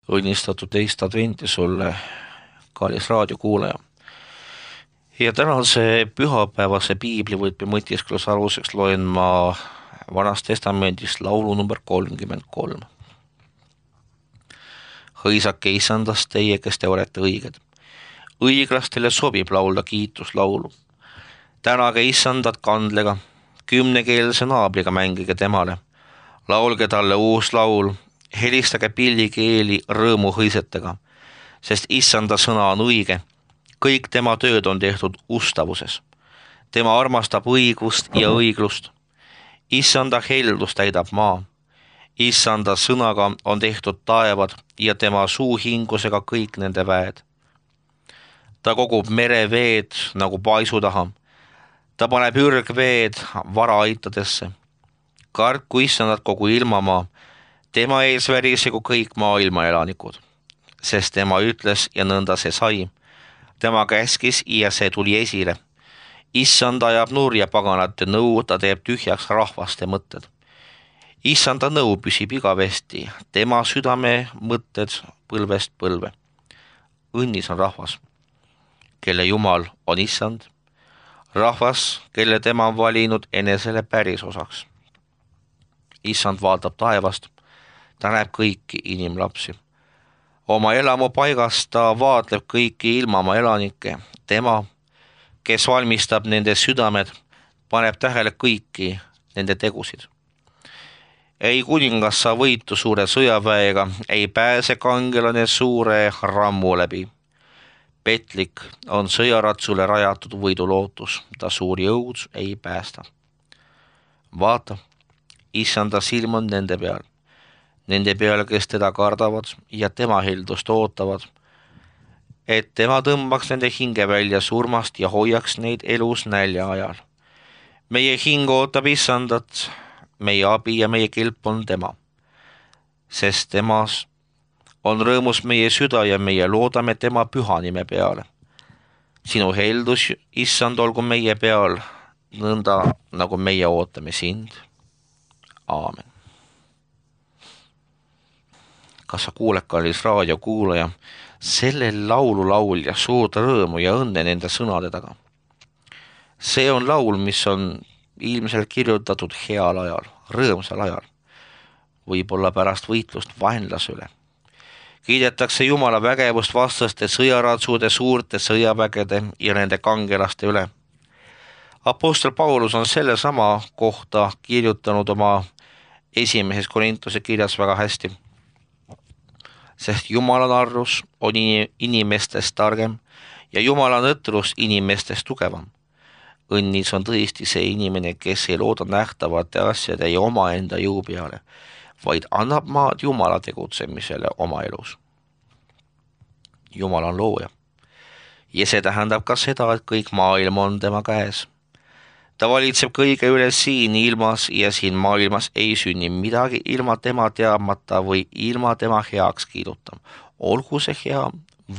õnnistatud teist adventi sulle, kallis raadiokuulaja. Ja tänase pühapäevase piiblivõtme mõtiskluse aluseks loen ma Vanast Testamendist laulu number 33. Hõisake Issandast teie, kes te olete õiged. Õiglastele sobib laulda kiituslaulu. Tänage Issandat kandlega, 10-keelse naabriga mängige temale. Laulge talle uus laul, helistage pillikeeli rõõmu hõisetega, sest Issanda sõna on õige. Kõik tema tööd on tehtud ustavuses. Tema armastab õigust ja õiglust. Issanda heldus täidab maa. Issanda sõnaga on tehtud taevad ja tema suuhingusega kõik nende väed. Ta kogub mereveed nagu paisu taha. Ta paneb ürgveed varaaitadesse. Kartku Issandat kogu ilmamaa. Tema ees värisegu kõik maailma elanikud. Sest tema ütles ja nõnda see sai. Tema käskis ja see tuli esile. Issand ajab nurja paganate nõu, ta teeb tühjaks rahvaste mõtted. Issanda nõu püsib igavesti, tema südame mõtted põlvest põlve. Õnnis on rahvas, kelle Jumal on Issand, rahvas, kelle tema on valinud enesele päris osaks. Issand vaatab taevast, ta näeb kõiki inimlapsi. Oma elamupaigast ta vaatleb kõiki ilmamaa elanikke. Tema, kes valmistab nende südamed, paneb tähele kõiki nende tegusid. Ei kuningas saa võitu suure sõjaväega, ei pääse kangelane suure rammu läbi. Petlik on sõjaratsule rajatud võidulootus, ta suuri jõud ei päästa. Vaata, Issanda silm on nende peal. Nende peale, kes teda kardavad ja tema heldust ootavad, et tema tõmbaks nende hinge välja surmast ja hoiaks neid elus nälja ajal. Meie hing ootab Issandat, meie abi ja meie kilp on tema, sest temas on rõõmus meie süda ja meie loodame tema püha nime peale. Sinu heldus, Issand, olgu meie peal, nõnda nagu meie ootame sind. Aamen. Kas sa kuuled, kallis raadiokuulaja, selle laulu laulja suurt rõõmu ja õnne nende sõnade taga? See on laul, mis on ilmselt kirjutatud heal ajal, rõõmsal ajal, võib-olla pärast võitlust vaenlase üle. Kiidetakse Jumala vägevust vastaste sõjaratsude, suurte sõjavägede ja nende kangelaste üle. Apostel Paulus on selle sama kohta kirjutanud oma esimeses Korintuse kirjas väga hästi. Sest Jumala narrus on inimestest targem ja Jumala nõtrus inimestest tugevam. Õnnis on tõesti see inimene, kes ei looda nähtavate asjade ja omaenda jõu peale, vaid annab maad Jumala tegutsemisele oma elus. Jumal on looja ja see tähendab ka seda, et kõik maailm on tema käes. Ta valitseb kõige üle siin ilmas ja siin maailmas ei sünni midagi ilma tema teadmata või ilma tema heaks kiiduta, olgu see hea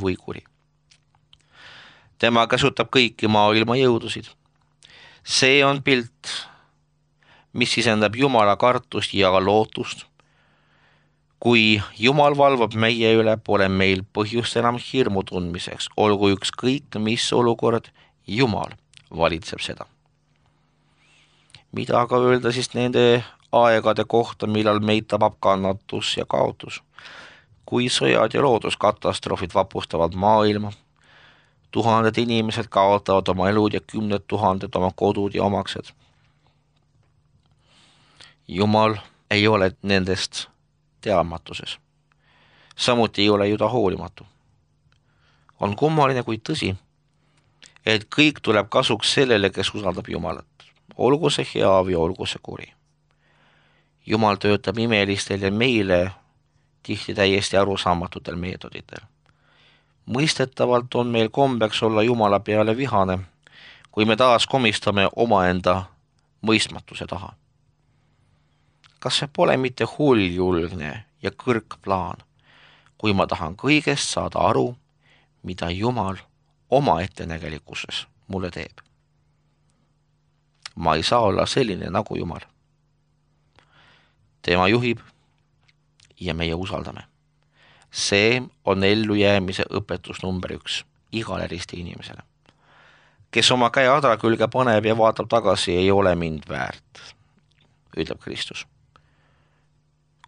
või kuri. Tema käsutab kõiki maailma jõudusid. See on pilt, mis sisendab Jumala kartust ja lootust. Kui Jumal valvab meie üle, pole meil põhjust enam hirmu tundmiseks, olgu ükskõik mis olukord, Jumal valitseb seda. Mida aga öelda siis nende aegade kohta, millal meid tabab kannatus ja kaotus? Kui sõjad ja looduskatastroofid vapustavad maailma, tuhanded inimesed kaotavad oma elud ja 10 000 oma kodud ja omaksed. Jumal ei ole nendest teadmatuses. Samuti ei ole ju ta hoolimatu. On kummaline kui tõsi, et kõik tuleb kasuks sellele, kes usaldab Jumalat. Olgu see hea või olgu see kuri. Jumal töötab imelistel ja meile tihti täiesti arusaamatutel meetoditel. Mõistetavalt on meil kombeks olla Jumala peale vihane, kui me taas komistame omaenda mõistmatuse taha. Kas see pole mitte hulljulgne ja kõrgplaan, kui ma tahan kõigest saada aru, mida Jumal oma ettenägelikkuses mulle teeb? Ma ei saa olla selline nagu Jumal. Tema juhib ja meie usaldame. See on ellujäämise õpetus number 1 igale risti inimesele. Kes oma käe adra külge paneb ja vaatab tagasi, ei ole mind väärt, ütleb Kristus.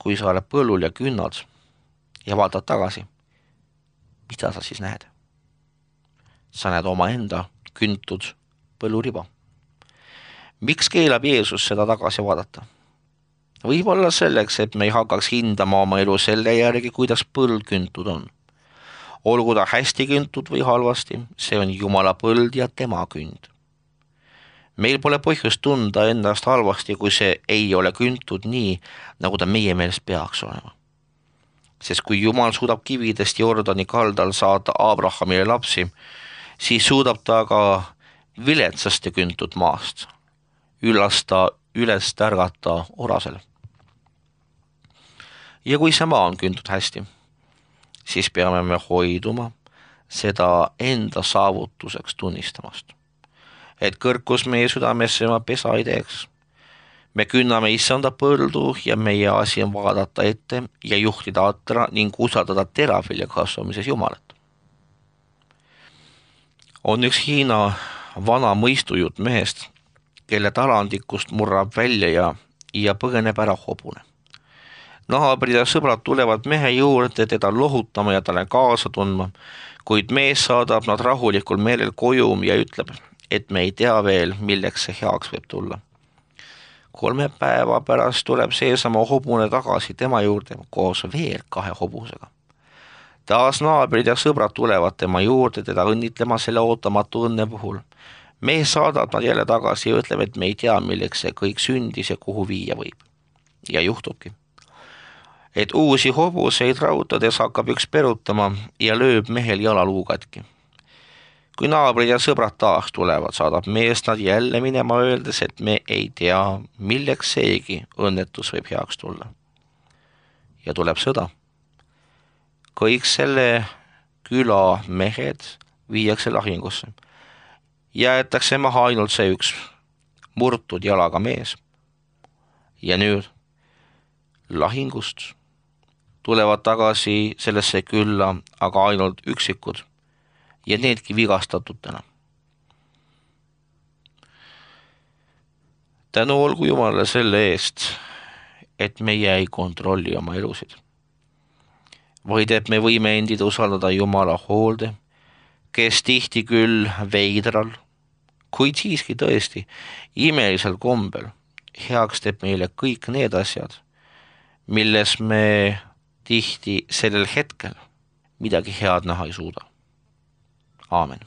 Kui sa oled põllul ja künnad ja vaatad tagasi, mida sa siis näed? Sa näed omaenda küntud põlluriba. Miks keelab Jeesus seda tagasi vaadata? Võib-olla selleks, et me ei hakkaks hindama oma elu selle järgi, kuidas põld küntud on. Olgu ta hästi küntud või halvasti, see on Jumala põld ja tema künd. Meil pole põhjust tunda ennast halvasti, kui see ei ole küntud nii, nagu ta meie meelest peaks olema. Sest kui Jumal suudab kividest Jordani kaldal saata Abrahamile lapsi, siis suudab ta ka viletsast ja küntud maast üles tärgata orasel. Ja kui see maa on küntud hästi, siis peame me hoiduma seda enda saavutuseks tunnistamast. Et kõrkus meie südamesse oma pesa ei teeks. Me künname issanda põldu ja meie asi on vaadata ette ja juhtida atra ning usaldada teravilja kasvamises Jumalat. On üks Hiina vana mõistujutt mehest, kelle talandikust murrab välja ja põgeneb ära hobune. Naabrid ja sõbrad tulevad mehe juurde teda lohutama ja talle kaasa tundma, kuid mees saadab nad rahulikul meelel koju ja ütleb, et me ei tea veel, milleks see heaks võib tulla. 3 päeva pärast tuleb seesama hobune tagasi tema juurde koos veel 2 hobusega. Taas naabrid ja sõbrad tulevad tema juurde teda õnnitlema selle ootamatu õnne puhul. Mees saadab nad jälle tagasi ja ütleb, et me ei tea, milleks see kõik sündis ja kuhu viia võib. Ja juhtubki, et uusi hobuseid raudades hakkab üks perutama ja lööb mehel jalaluu katki. Kui naabrid ja sõbrad taas tulevad, saadab mees nad jälle minema öeldes, et me ei tea, milleks seegi õnnetus võib heaks tulla. Ja tuleb sõda. Kõik selle küla mehed viiakse lahingusse. Jäetakse maha ainult see üks murtud jalaga mees. Ja nüüd lahingust tulevad tagasi sellesse külla aga ainult üksikud ja needki vigastatutena. Tänu olgu Jumalale selle eest, et meie ei kontrolli oma elusid, vaid et me võime endid usaldada Jumala hoolde, kes tihti küll veidral, kuid siiski tõesti imelisel kombel heaks teeb meile kõik need asjad, milles me tihti sellel hetkel midagi head näha ei suuda. Aamen.